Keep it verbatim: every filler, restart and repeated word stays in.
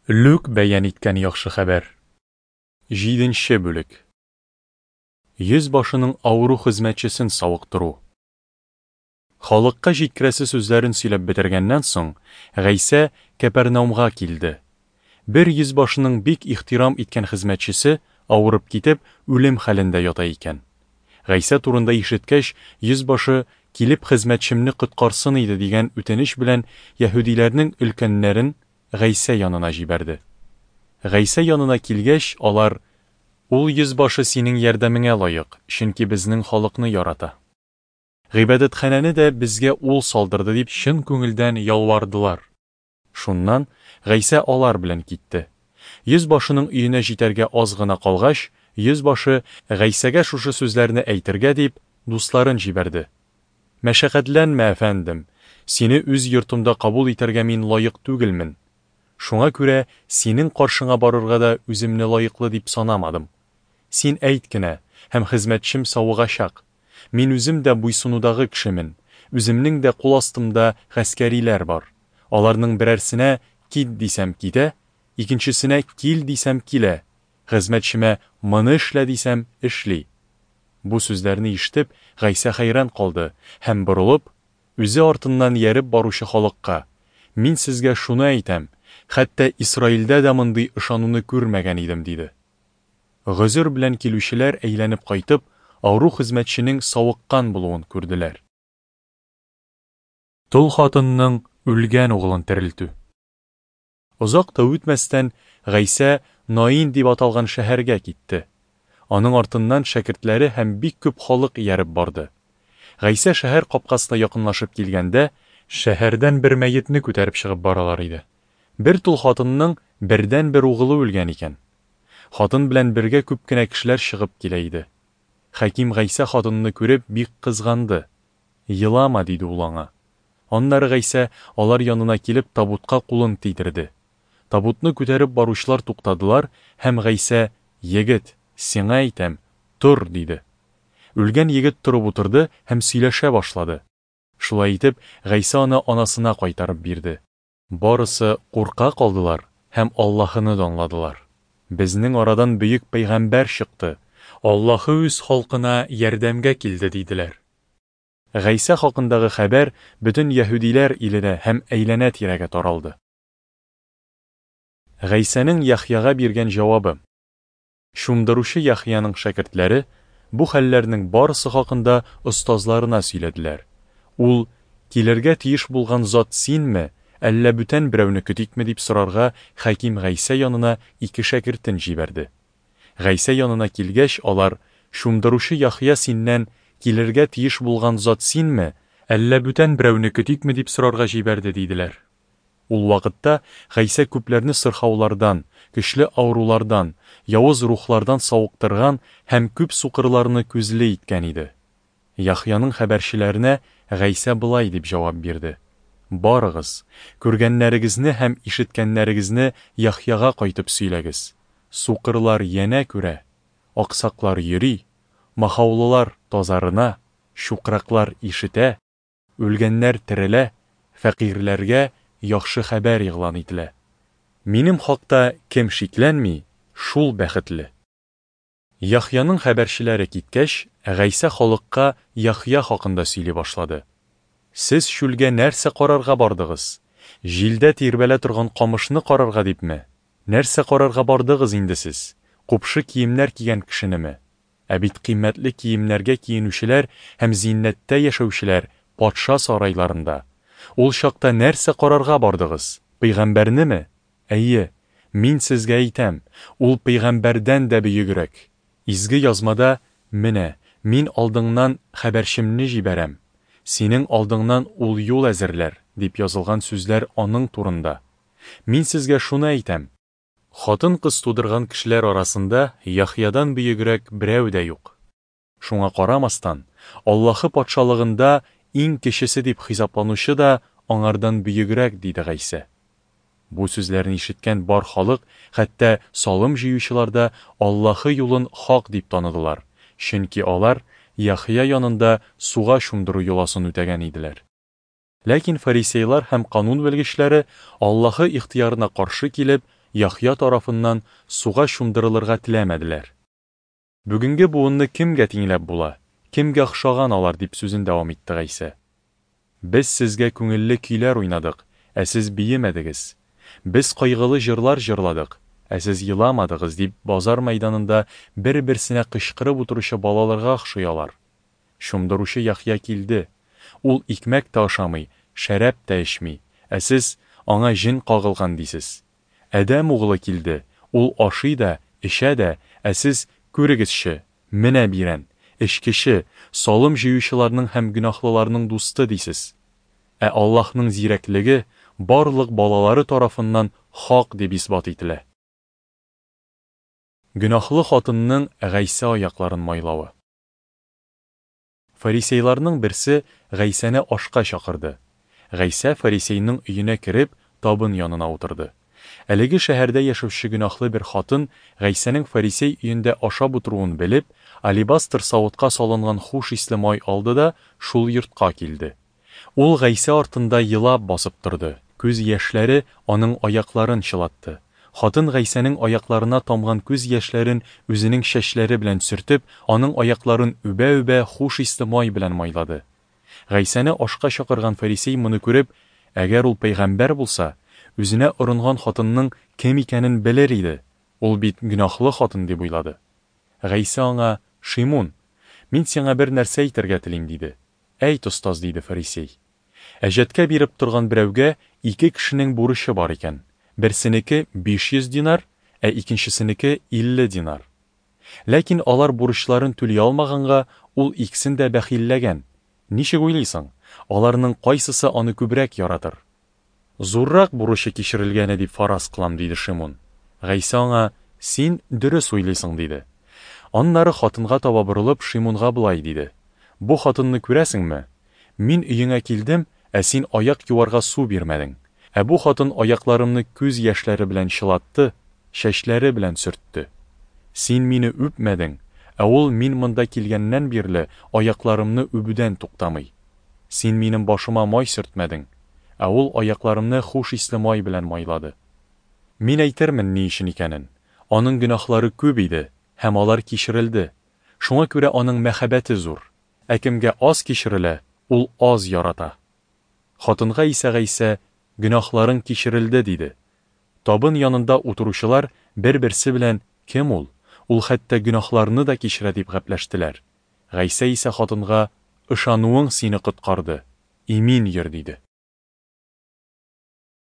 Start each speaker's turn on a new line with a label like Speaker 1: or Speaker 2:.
Speaker 1: Лүк бәян иткән яхшы хәбәр. Җиденче бүлек. Йөз башының авыру хезмәтчесен савыктыру. Халыкка җиткерәсе сүзләрен сөйләп бетергәннән соң, Гайсә Кәпәрнаумга килде. Бер йөз башының бик ихтирам иткән хезмәтчесе авырып китеп, үлем хәлендә ята икән. Гайсә турында ишеткәч, йөз башы килеп хезмәтчемне коткарсын иде дигән үтенеч белән яһүдиләрнең өлкәннәрен Гайсә янына җибәрде. Гайсә янына килгәч, алар: "Ул йөз башы синең ярдәмеңә лаек, чөнки безнең халыкны ярата. Гыйбадәтханәне дә безгә ул салдырды" дип чын күңелдән ялвардылар. Шуннан Гайсә алар белән китте. Йөз башының өенә җитәргә аз гына калгач, йөз башы Гайсәгә шушы сүзләрне әйтергә дип, дусларын җибәрде: "Мәшәкатьләнмә, әфәндем, сине үз йортымда кабул итәргә мин лаек түгелмен. Шуңа күрә синең каршыңа барырга да үземне лаеклы дип санамадым. Син әйт кенә, һәм хезмәтчем савыгачак. Мин үзем дә буйсынудагы кешемен, үземнең дә кул астымда гаскәриләр бар. Аларның берәрсенә кит дисәм китә, икенчесенә кил дисәм килә, хезмәтчемә моны эшлә дисәм эшли." Бу сүзләрне ишетеп, Гайсә хәйран калды һәм борылып, үзе артыннан ияреп баручы халыкка: "Мин сезгә шуны әйтәм, хәтта Исраилдә дә мондый ышануны күрмәгән идем", диде. Гозер белән килүчеләр әйләнеп кайтып, авыру хезмәтченең савыккан булуын күрделәр. Тол хатынның үлгән угылын терелтү. Озак та үтмәстән, Гайсә Наин дип аталган шәһәргә китте. Аның артыннан шәкертләре һәм бик күп халык ияреп барды. Гайсә шәһәр капкасына якынлашып килгәндә, шәһәрдән бер мәетне күтәреп чыгып баралар иде. Бер тол хатынның бердәнбер угылы үлгән икән. Хатын белән бергә күп кенә кешеләр чыгып килә иде. Хаким Гайсә хатынны күреп бик кызганды. "Елама", диде ул аңа. Аннары Гайсә алар янына килеп табутка кулын тидерде. Табутны күтәреп баручылар туктадылар һәм Гайсә: "Егет, сиңа әйтәм, тор", диде. Үлгән егет торып утырды һәм сөйләшә башлады. Шулай итеп, Гайсә аны анасына кайтарып бирде. Барысы курка калдылар һәм Аллаһыны данладылар. "Безнең арадан бөек пәйгамбәр чыкты. Аллаһы үз халкына ярдәмгә килде", диделәр. Гайсә хакындагы хәбәр бөтен яһүдиләр иленә һәм әйләнә-тирәгә таралды. Гайсәнең Яхъяга биргән җавабы. Чумдыручы Яхъяның шәкертләре бу хәлләрнең барысы хакында остазларына сөйләделәр. Ул: "Килергә тиеш булган зат синме, әллә бүтән берәүне көтикме?" дип сорарга хаким Гайсә янына ике шәкертен җибәрде. Гайсә янына килгәч, алар: "Чумдыручы Яхъя синнән килергә тиеш булган зат синме, әллә бүтән берәүне көтикме?" дип сорарга җибәрде, диделәр. Ул вакытта Гайсә күпләрне сырхаулардан, көчле авырулардан, явыз рухлардан савыктырган һәм күп сукырларны күзле иткән иде. Яхъяның хәбәрчеләренә Гайсә болай дип җавап бирде: "Барыгыз, күргәннәрегезне һәм ишеткәннәрегезне Яхъяга кайтып сөйләгез. Сукырлар янә күрә, аксаклар йөри, махаулылар тазарына, чукраклар ишетә, үлгәннәр терелә, фәкыйрьләргә яхшы хәбәр игълан ителә. Минем хакта кем шикләнми, шул бәхетле." Яхъяның хәбәрчеләре киткәч, Гайсә халыкка Яхъя хакында сөйли башлады. "Сез чүлгә нәрсә карарга бардыгыз? Җилдә тирбәлә торган камышны карарга дипме? Нәрсә карарга бардыгыз инде сез? Купшы киемнәр кигән кешенеме? Ә бит кыйммәтле киемнәргә киенүчеләр һәм зиннәттә яшәүчеләр патша сарайларында. Ул чакта нәрсә карарга бардыгыз? Пәйгамбәрнеме? Әйе, мин сезгә әйтәм, ул пәйгамбәрдән дә бөегрәк. Изге язмада: "Менә, мин алдыңнан хәбәрчемне җибәрәм, синең алдыңнан ул юл әзерләр", дип язылган сүзләр аның турында. Мин сезгә шуны әйтәм: хатын-кыз тудырган кешеләр арасында Яхъядан бөегрәк берәү дә юк. Шуңа карамастан, Аллаһы патшалыгында иң кечесе дип хисапланучы да аңардан бөегрәк", диде Гайсә. Бу сүзләрне ишеткән бар халык, хәтта салым җыючылар да Аллаһы юлын хак дип таныдылар, чөнки алар Яхъя янында суга чумдыру йоласын үтәгән иделәр. Ләкин фарисейлар һәм канун белгечләре Аллаһы ихтыярына каршы килеп, Яхъя тарафыннан суга чумдырылырга теләмәделәр. Бүгенге буынны кемгә тиңләп була, кемгә охшаган алар, дип сүзен дәвам итте Гайсә. Без сезгә күңелле көйләр уйнадык, ә сез биемәдегез. Без кайгылы җырлар җырладык, ә сез еламадыгыз, дип базар мәйданында бер-берсенә кычкырып утыручы балаларга охшый алар. Чумдыручы Яхъя килде. Ул икмәк тә ашамый, шәраб та эчми, ә сез, Аңа җен кагылган, дисез. Адәм углы килде, ул ашый да, эчә дә, ә сез, Күрегезче, менә бирән, эчкече, салым җыючыларның һәм гөнаһлыларның дусты, дисез. Ә Аллаһның зирәклеге барлык балалары тарафыннан хак дип исбат ителә. Гөнаһлы хатынның Гайсә аякларын майлавы. Фарисейларның берсе Гайсәне ашка чакырды. Гайсә фарисейның өенә кереп, табын янына утырды. Әлеге шәһәрдә яшәүче гөнаһлы бер хатын Гайсәнең фарисей өендә ашап утыруын белеп, алебастр савытка салынган хуш исле май алды да шул йортка килде. Ул Гайсә артында елап басып торды. Күз яшьләре аның аякларын чылатты. Хатын Гайсәнең аякларына тамган күз яшьләрен үзенең чәчләре белән сөртеп, аның аякларын үбә-үбә хуш исле май белән майлады. Гайсәне ашка чакырган фарисей моны күреп, әгәр ул пәйгамбәр булса, үзенә орынган хатынның кем икәнен белер иде. Ул бит гөнаһлы хатын дип уйлады. Гайсә аңа: "Шимун, мин сиңа бер нәрсә әйтергә телим", диде. "Әйт, остаз", диде фарисей. Әҗәткә биреп торган берәүгә ике кешенең бурычы бар икән. Берсенеке биш йөз динар, ә икенчесенеке илле динар. Ләкин алар бурычларын түли алмаганга, ул икесен дә бәхилләгән. Ничек уйлыйсың, аларның кайсысы аны күбрәк яратыр? Зуррак бурычы кичерелгәне дип фараз кылам, диде Шимун. Гайсә аңа: "Син дөрес уйлыйсың", диде. Аннары хатынга таба борылып, Шимунга болай диде: "Бу хатынны күрәсеңме? Мин өеңә килдем, ә син аяк юарга су бирмәдең. Ә бу хатын аякларымны күз яшьләре белән чылатты, чәчләре белән сөртте. Син мине үпмәдең, ә ул мин монда килгәннән бирле аякларымны үбүдән туктамый. Син минем башыма май сөртмәдең, ә ул аякларымны хуш исле май белән майлады. Мин әйтермен ни өчен икәнен. Аның гөнаһлары күп иде, һәм алар кичерелде. Шуңа күрә аның мәхәббәте зур. Ә кемгә аз кичерелә, ул аз ярата." Хатынга исә Гайсә: "Гөнаһларың кичерелде", диде. Табын янында утыручылар бер-берсе белән: "Кем ул? Ул хәтта гөнаһларны да кичерә", дип гәпләштеләр. Гайсә исә хатынга: "Ышануың сине коткарды. Имин йөр", диде.